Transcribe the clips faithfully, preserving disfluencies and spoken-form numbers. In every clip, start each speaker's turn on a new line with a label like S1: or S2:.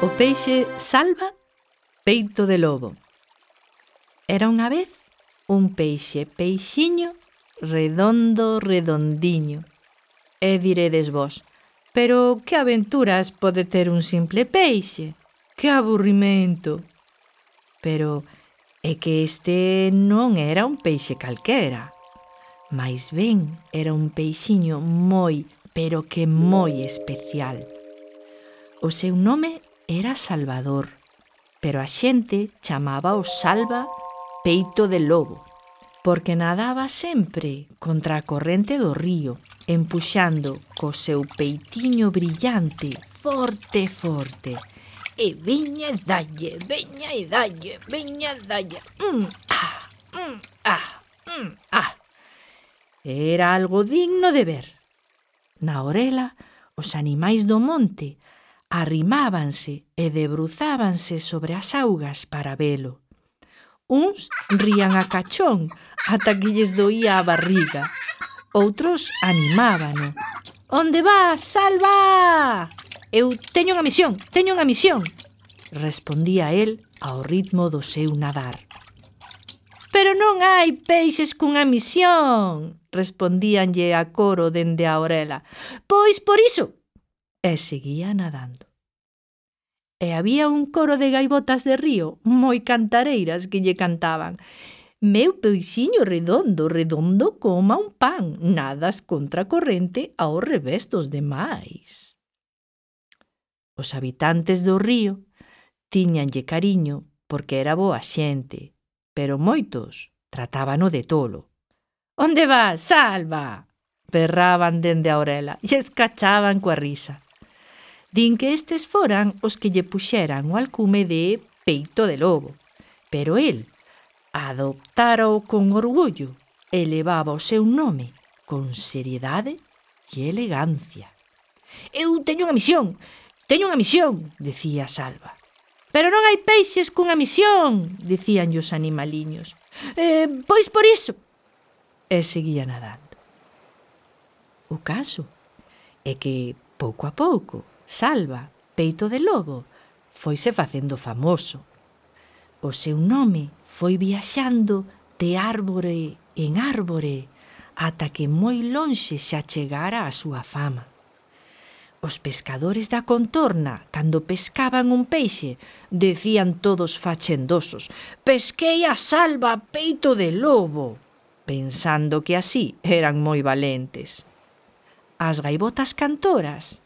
S1: O peixe Salva, peito de lobo. Era unha vez un peixe peixiño redondo, redondiño. E diredes vos, pero que aventuras pode ter un simple peixe? Que aburrimento! Pero é que este non era un peixe calquera. Mais ben era un peixiño moi, pero que moi especial. O seu nome era Salvador, pero a xente chamaba o Salva peito de lobo, porque nadaba sempre contra a corrente do río, empuxando co seu peitiño brillante forte, forte. E veña e dalle, veña e dalle, veña e dalle. Mm, ah, mm, ah, mm, ah. Era algo digno de ver. Na orela, os animais do monte arrimábanse e debruzábanse sobre as augas para velo. Uns rían a cachón ata que lles doía a barriga. Outros animábano. Onde vas, Salva? Eu teño unha misión, teño unha misión, respondía el ao ritmo do seu nadar. Pero non hai peixes cunha misión, respondíanlle a coro dende a orela. Pois por iso. E seguía nadando. E había un coro de gaivotas de río moi cantareiras que lle cantaban: meu peixiño redondo, redondo coma un pan, nadas contra a corrente ao revés dos demais. Os habitantes do río tiñanlle cariño porque era boa xente, pero moitos tratábano de tolo. Onde vas, Salva? Berraban dende a orela e escachaban coa risa. Din que estes foran os que lle puxeran o alcume de peito de lobo, pero el adoptárao con orgullo e levaba o seu nome con seriedade e elegancia. Eu teño unha misión, teño unha misión, decía Salva. Pero non hai peixes cunha misión, dicían os animaliños. Eh, pois por iso. E seguía nadando. O caso é que, pouco a pouco, Salva, peito de lobo, foise facendo famoso. O seu nome foi viaxando de árbore en árbore ata que moi lonxe xa chegara a súa fama. Os pescadores da contorna, cando pescaban un peixe, decían todos fachendosos: pesquei a Salva peito de lobo, pensando que así eran moi valentes. As gaivotas cantoras,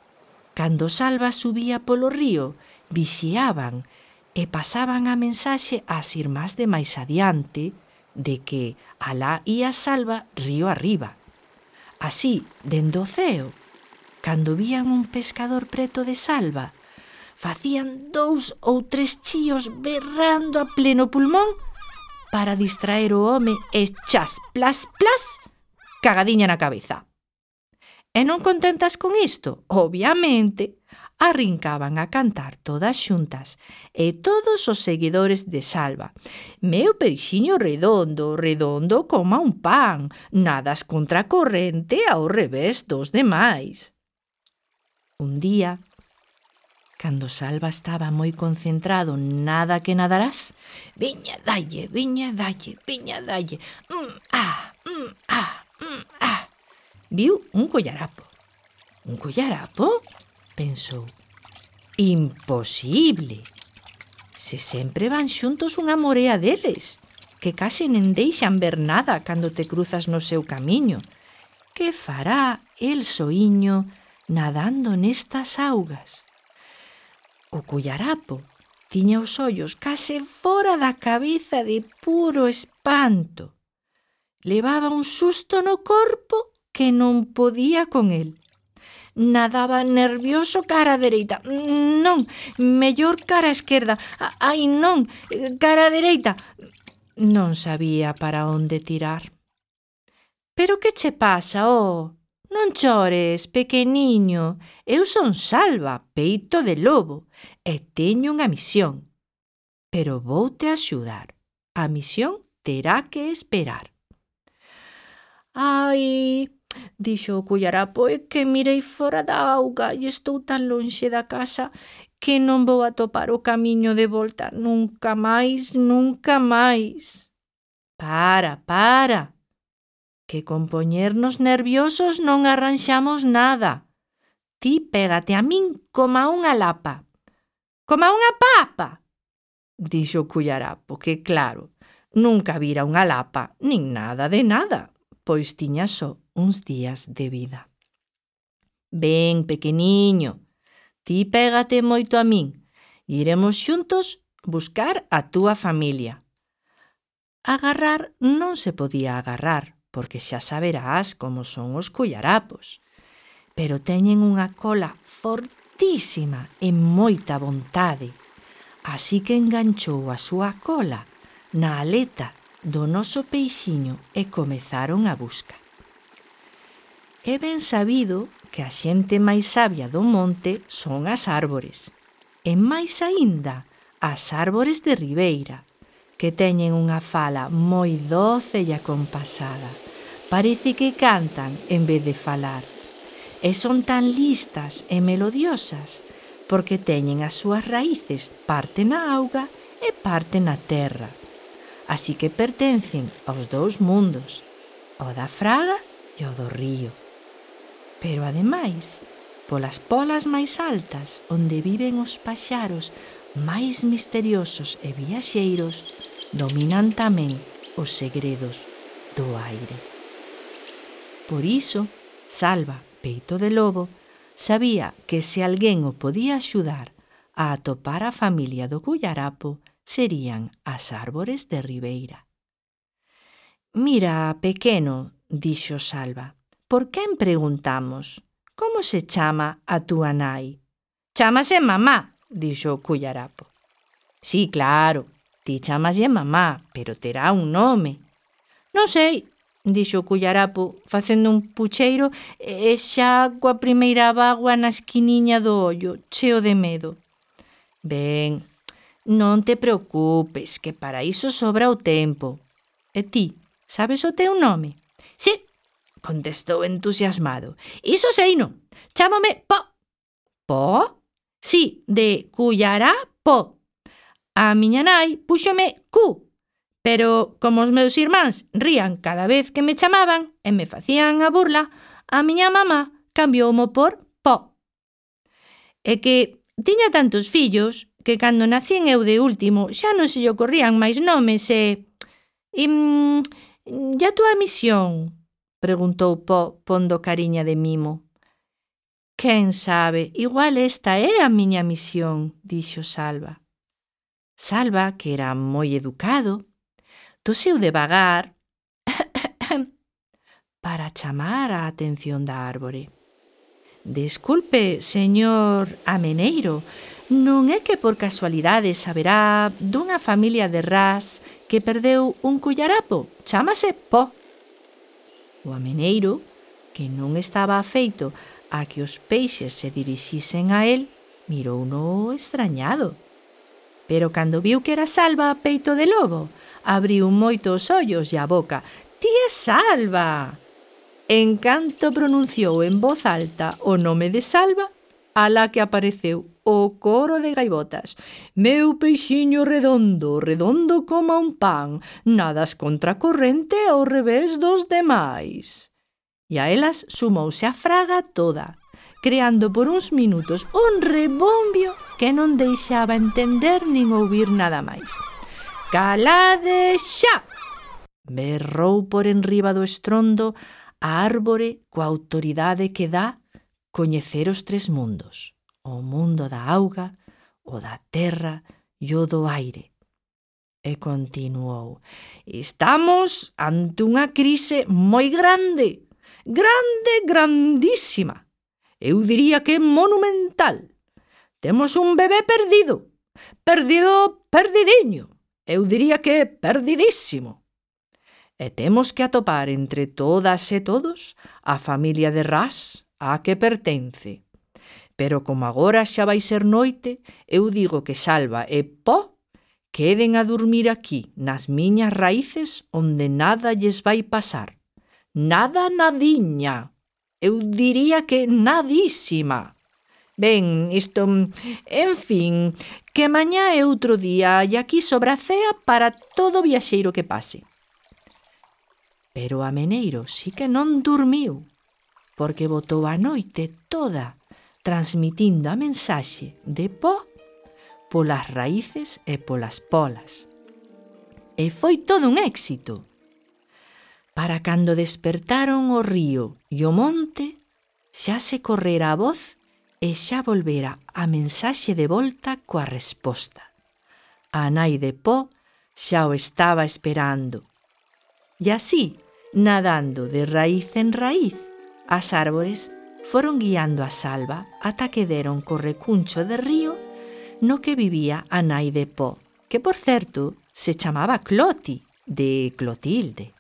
S1: cando Salva subía polo río, vixiaban e pasaban a mensaxe ás irmás de máis adiante de que alá ía Salva río arriba. Así, dende o ceo, cando vían un pescador preto de Salva, facían dous ou tres chíos berrando a pleno pulmón para distraer o home e chas, plas, plas, cagadiña na cabeza. E non contentas con isto, obviamente, arrincaban a cantar todas xuntas e todos os seguidores de Salva. Meu peixiño redondo, redondo coma un pan, nadas contra a corrente ao revés dos demais. Un día, cando Salva estaba moi concentrado nada que nadarás, viña dalle, viña dalle, viña dalle, mm, ah, mm, ah, mm, ah. Viu un collarapo. Un collarapo? Pensou. Imposible. Se sempre van xuntos unha morea deles, que case nen deixan ver nada cando te cruzas no seu camiño. Que fará el soiño nadando nestas augas? O collarapo tiña os ollos case fora da cabeza de puro espanto. Levaba un susto no corpo que non podía con el. Nadaba nervioso cara a dereita. Non, mellor cara a esquerda. Ai, non, cara a dereita. Non sabía para onde tirar. Pero que che pasa, oh? Non chores, pequeniño. Eu son Salva, peito de lobo, e teño unha misión. Pero voute axudar. A misión terá que esperar. Ai, dixo o collarapo, é que mirei fora da auga e estou tan lonxe da casa que non vou atopar o camiño de volta nunca máis, nunca máis. Para, para, que con poñernos nerviosos non arranxamos nada. Ti pégate a min coma unha lapa. Coma unha papa, dixo o cullarapo, que claro, nunca vira unha lapa, nin nada de nada, pois tiña só uns días de vida. Ben, pequeniño, ti pégate moito a min, e iremos xuntos buscar a túa familia. Agarrar non se podía agarrar, porque xa saberás como son os cullarapos, pero teñen unha cola fortísima e moita vontade, así que enganchou a súa cola na aleta do noso peixiño e comezaron a busca. É ben sabido que a xente máis sabia do monte son as árbores, e máis aínda as árbores de ribeira, que teñen unha fala moi doce e acompasada. Parece que cantan en vez de falar. E son tan listas e melodiosas porque teñen as súas raíces parte na auga e parte na terra. Así que pertencen aos dous mundos, o da fraga e o do río. Pero ademais, polas polas máis altas, onde viven os paxaros máis misteriosos e viaxeiros, dominan tamén os segredos do aire. Por iso, Salva, peito de lobo, sabía que se alguén o podía axudar a atopar a familia do cullarapo serían as árbores de ribeira. Mira, pequeno, dixo Salva, por quen preguntamos? Como se chama a túa nai? Chámase mamá, dixo o cullarapo. Sí, claro, ti chamaslle mamá, pero terá un nome. Non sei, dixo o cullarapo, facendo un pucheiro e xa coa primeira bágoa na esquiniña do ollo, cheo de medo. Ben, non te preocupes, que para iso sobra o tempo. E ti, sabes o teu nome? Sí, contestou entusiasmado. Iso seino, chámame Po. Po? Sí, de cullarapo. A miña nai púxome Cu. Pero, como os meus irmáns rían cada vez que me chamaban e me facían a burla, a miña mamá cambioumo por Po. E que tiña tantos fillos que cando nacín eu de último xa non se lle ocorrían máis nomes e... E, e a túa misión? Preguntou Po pondo cariña de mimo. Quen sabe, igual esta é a miña misión, dixo Salva. Salva, que era moi educado, toseu devagar para chamar a atención da árbore. Desculpe, señor ameneiro, non é que por casualidade saberá dunha familia de ras que perdeu un cullarapo? Chámase Po. O ameneiro, que non estaba afeito a que os peixes se dirixisen a él, mirouno extrañado. Pero cando viu que era Salva, peito de lobo, abriu moito os ollos e a boca. Ti é Salva! En canto pronunciou en voz alta o nome de Salva, alá que apareceu o coro de gaivotas. Meu peixiño redondo, redondo como un pan, nadas contracorrente ao revés dos demais. E a elas sumouse a fraga toda, creando por uns minutos un rebombio que non deixaba entender nin ouvir nada máis. Calade xa! Berrou por enriba do estrondo a árbore coa autoridade que dá coñecer os tres mundos, o mundo da auga, o da terra e o do aire. E continuou, estamos ante unha crise moi grande, grande, grandísima. Eu diría que monumental. Temos un bebé perdido, perdido, perdidiño. Eu diría que perdidísimo. E temos que atopar entre todas e todos a familia de ras a que pertence. Pero como agora xa vai ser noite, eu digo que Salva e Po queden a dormir aquí, nas miñas raíces, onde nada lles vai pasar. Nada, nadiña. Eu diría que nadísima. Ben, isto, en fin, que mañá é outro día e aquí sobra cea para todo viaxeiro que pase. Pero o ameneiro sí que non dormiu, porque botou a noite toda transmitindo a mensaxe de po polas raíces e polas polas. E foi todo un éxito. Para cando despertaron o río e o monte, xa se correra a voz e xa volvera a mensaxe de volta coa resposta. A nai de Po xa o estaba esperando. E así, nadando de raíz en raíz, as árbores foron guiando a Salva ata que deron co recuncho de río no que vivía a nai de Po, que, por certo, se chamaba Cloti, de Clotilde.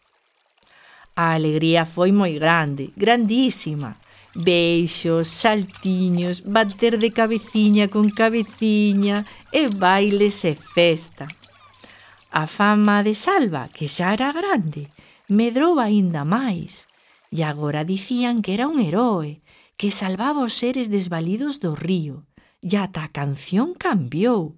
S1: A alegría foi moi grande, grandísima. Beixos, saltiños, bater de cabeciña con cabeciña e bailes e festa. A fama de Salva, que xa era grande, medrou aínda máis e agora dicían que era un heroe, que salvaba os seres desvalidos do río e ata a canción cambiou.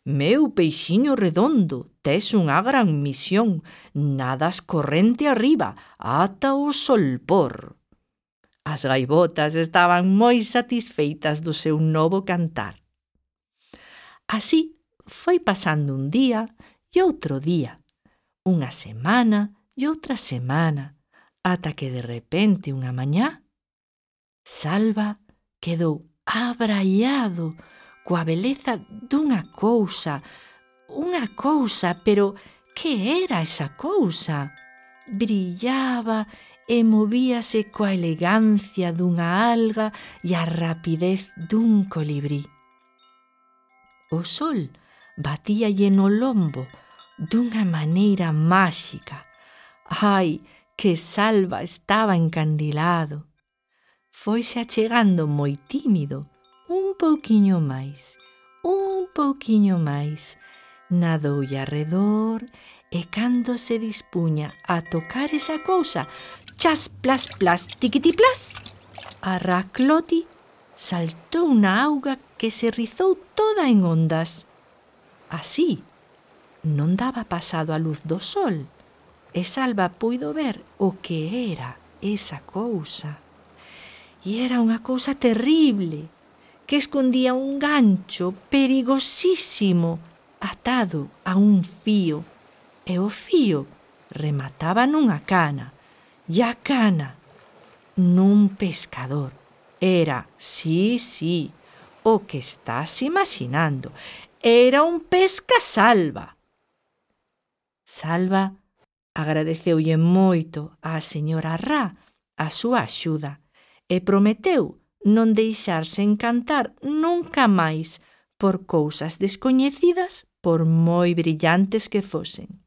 S1: Meu peixiño redondo, tes unha gran misión, nadas corrente arriba, ata o solpor. As gaivotas estaban moi satisfeitas do seu novo cantar. Así foi pasando un día e outro día, unha semana e outra semana, ata que de repente unha mañá, Salva quedou abraiado coa beleza dunha cousa, unha cousa, pero que era esa cousa? Brillaba e movíase coa elegancia dunha alga e a rapidez dun colibrí. O sol batíalle no lombo dunha maneira máxica. Ai, que Salva estaba encandilado. Foise achegando moi tímido, un pouquiño máis, un pouquiño máis. Nadoulle arredor e cando se dispuña a tocar esa cousa, chas, plas, plas, tiquitiplas, a Racloti saltou na auga que se rizou toda en ondas. Así, non daba pasado a luz do sol, e Salva puido ver o que era esa cousa. E era unha cousa terrible, que escondía un gancho perigosísimo atado a un fío, e o fío remataba nunha cana, e a cana nun pescador. Era, sí, sí, o que estás imaginando, era un pescasalva. Salva agradeceulle moito á señora Ra a súa axuda e prometeu non deixarse encantar nunca máis por cousas descoñecidas, por moi brillantes que fosen.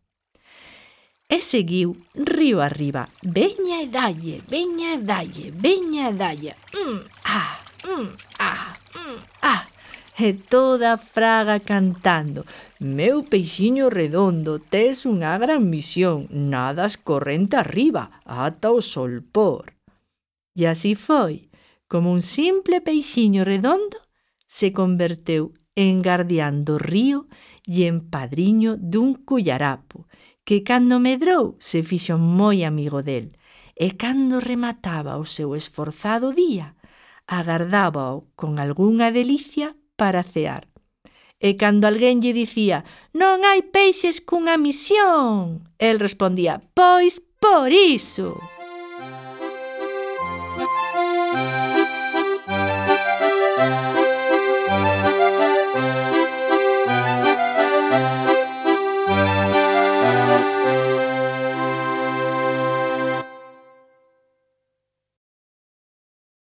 S1: E seguiu río arriba, veña e dalle, veña e dalle, veña e dalle, mm, ah, mm, ah, mm, ah, e toda a fraga cantando: meu peixiño redondo, tes unha gran misión, nadas corrente arriba, ata o solpor. E así foi, como un simple peixiño redondo se converteu en gardián do río e en padriño dun cullarapo, que cando medrou se fixo moi amigo del, e cando remataba o seu esforzado día, agardábao con algunha delicia para cear. E cando alguén lle dicía: non hai peixes cunha misión, el respondía: pois por iso.